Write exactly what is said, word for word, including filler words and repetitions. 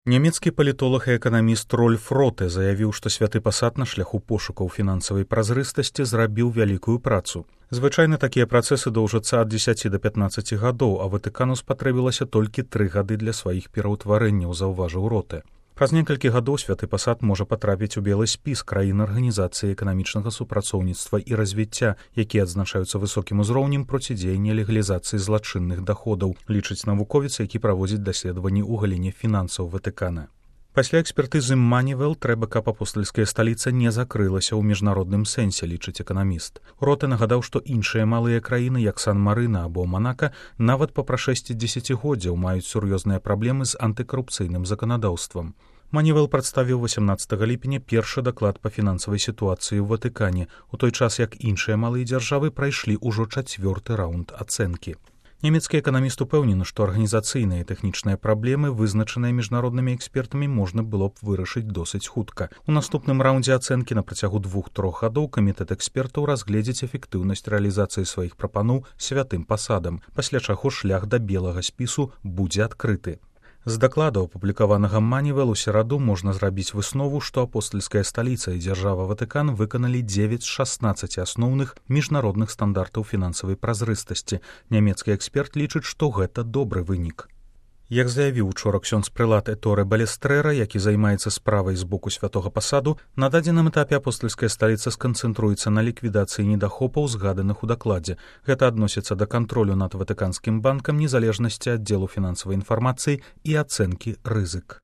Нямецкі палітолог і эканаміст Рольф Роте заявіў, што святы пасад на шляху пошукаў фінансавай празрыстасці зрабіў вялікую працу. Звычайна такія працэсы доўжацца ад дзесяці да пятнаццаці гадоў, а Ватыкану спатрэбілася толькі тры гады для сваіх пераўтварэнняў, заўважыў Роте. Праз некалькі гадоў святы пасад можа патрапіць у белы спіс краін арганізацыі эканамічнага супрацоўніцтва і развіцця, якія адзначаюцца высокім узроўнем процідзеяння легалізацыі злачынных даходаў, лічыць навуковец, які праводзіць даследаванні ў галіне фінансаў Ватыкана. Пасля экспертызы Манівел трэба, каб апостальская сталіца не закрылася ў міжнародным сэнсе, лічыць эканаміст. Роте нагадаў, што іншыя малыя краіны, як Сан-Марына або Манака, нават па прашэсці дзесяцігоддзяў маюць сур'ёзныя праблемы з антыкарупцыйным заканадаўствам. Манівел прадставіў васямнаццатага ліпеня першы даклад па фінансавай сітуацыі ў Ватыкане, у той час як іншыя малыя дзяржавы прайшлі ўжо чацвёрты раунд ацэнкі. Нямецкі эканаміст упэўнены, што арганізацыйныя і тэхнічныя праблемы, вызначаныя міжнароднымі экспертамі, можна было б вырашыць досыць хутка. У наступным раўндзе ацэнкі на працягу двух-трох гадоў камітэт экспертаў разгледзіць эфектыўнасць рэалізацыі сваіх прапаноў святым пасадам, пасля чаго шлях да белага спісу будзе адкрыты. З дакладу, апублікаванага Манівел у сераду, можна зрабіць выснову, што апостальская сталіца і дзяржава Ватыкан выканалі дзевяць з шаснаццаці асноўных міжнародных стандартаў фінансавай празрыстасці. Нямецкі эксперт лічыць, што гэта добры вынік. Як заявіў учора ксёндз-прэлат Эторе Балестрэра, які займаецца справай з боку святога пасаду, на дадзеным этапе апостальская сталіца сканцэнтруецца на ліквідацыі недахопаў, згаданых у дакладзе. Гэта адносіцца да кантролю над Ватыканскім банкам, незалежнасці аддзелу фінансавай інфармацыі і ацэнкі рызык.